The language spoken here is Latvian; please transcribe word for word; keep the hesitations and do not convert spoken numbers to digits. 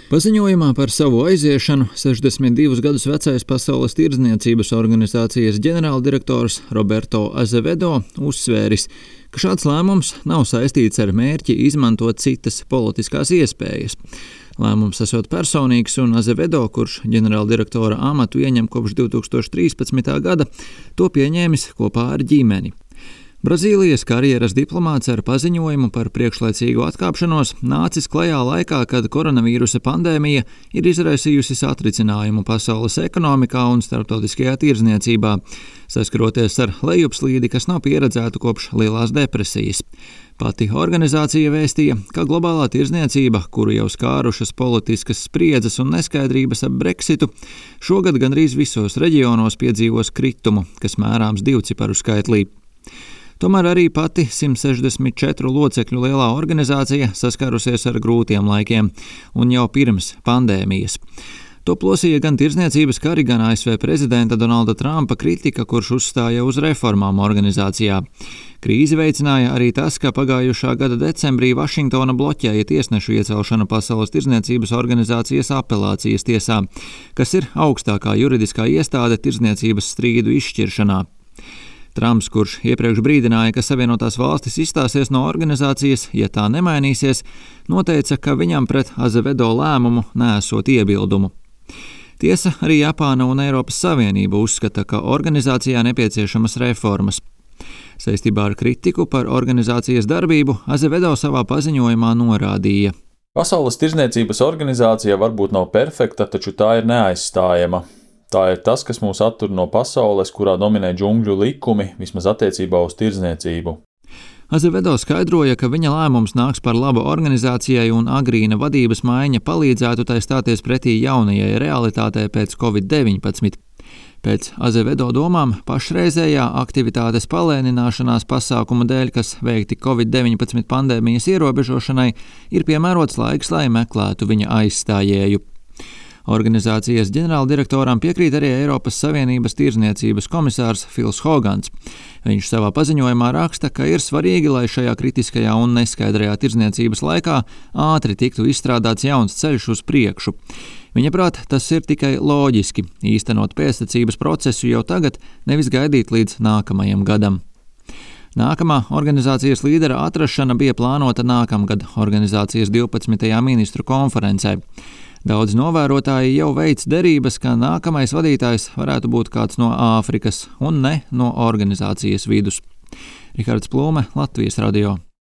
Paziņojumā par savu aiziešanu sešdesmit divus gadus vecais Pasaules tirdzniecības organizācijas ģenerāldirektors Roberto Azevedo uzsvēris, ka šāds lēmums nav saistīts ar mērķi izmantot citas politiskās iespējas. Lēmums esot personīgs, un Azevedo, kurš ģenerāldirektora amatu ieņem kopš divi tūkstoši trīspadsmitā gada, to pieņēmis kopā ar ģimeni. Brazīlijas karjeras diplomāts ar paziņojumu par priekšlaicīgu atkāpšanos nācis klajā laikā, kad koronavīrusa pandēmija ir izraisījusi satricinājumu pasaules ekonomikā un starptautiskajā tirdzniecībā, saskaroties ar lejupslīdi, kas nav pieredzēta kopš Lielās depresijas. Pati organizācija vēstīja, ka globālā tirdzniecība, kuru jau skārušas politiskas spriedzes un neskaidrības ap Brexitu, šogad gandrīz visos reģionos piedzīvos kritumu, kas mērāms divciparu skaitlī. Tomēr arī pati simt sešdesmit četru locekļu lielā organizācija saskārusies ar grūtiem laikiem, un jau pirms pandēmijas. To plosīja gan tirdzniecības kari, gan A S V prezidenta Donalda Trumpa kritika, kurš uzstāja uz reformām organizācijā. Krīzi veicināja arī tas, ka pagājušā gada decembrī Vašingtona bloķēja tiesnešu iecelšanu Pasaules tirdzniecības organizācijas apelācijas tiesā, kas ir augstākā juridiskā iestāde tirdzniecības strīdu izšķiršanā. Trumps, kurš iepriekš brīdināja, ka Savienotās valstis izstāsies no organizācijas, ja tā nemainīsies, noteica, ka viņam pret Azevedo lēmumu neesot iebildumu. Tiesa, arī Japāna un Eiropas Savienība uzskata, ka organizācijā nepieciešamas reformas. Saistībā ar kritiku par organizācijas darbību Azevedo savā paziņojumā norādīja. Pasaules tirdzniecības organizācija varbūt nav perfekta, taču tā ir neaizstājama. Tā ir tas, kas mūs attur no pasaules, kurā dominē džungļu likumi, vismaz attiecībā uz tirdzniecību. Azevedo skaidroja, ka viņa lēmums nāks par labu organizācijai un agrīna vadības maiņa palīdzētu tai stāties pretī jaunajai realitātei pēc covid deviņpadsmit. Pēc Azevedo domām pašreizējā aktivitātes palēnināšanās pasākumu dēļ, kas veikti covid deviņpadsmit pandēmijas ierobežošanai, ir piemērots laiks, lai meklētu viņa aizstājēju. Organizācijas ģenerāldirektoram piekrīt arī Eiropas Savienības tirdzniecības komisārs Fils Hogans. Viņš savā paziņojumā raksta, ka ir svarīgi, lai šajā kritiskajā un neskaidrajā tirdzniecības laikā ātri tiktu izstrādāts jauns ceļš uz priekšu. Viņaprāt, tas ir tikai loģiski īstenot pēctecības procesu jau tagad, nevis gaidīt līdz nākamajam gadam. Nākamā organizācijas līdera atrašana bija plānota nākamgad organizācijas divpadsmitajā ministru konferencē. Daudz novērotāji jau veic derības, ka nākamais vadītājs varētu būt kāds no Āfrikas un ne no organizācijas vidus. Rihards Plūme, Latvijas radio.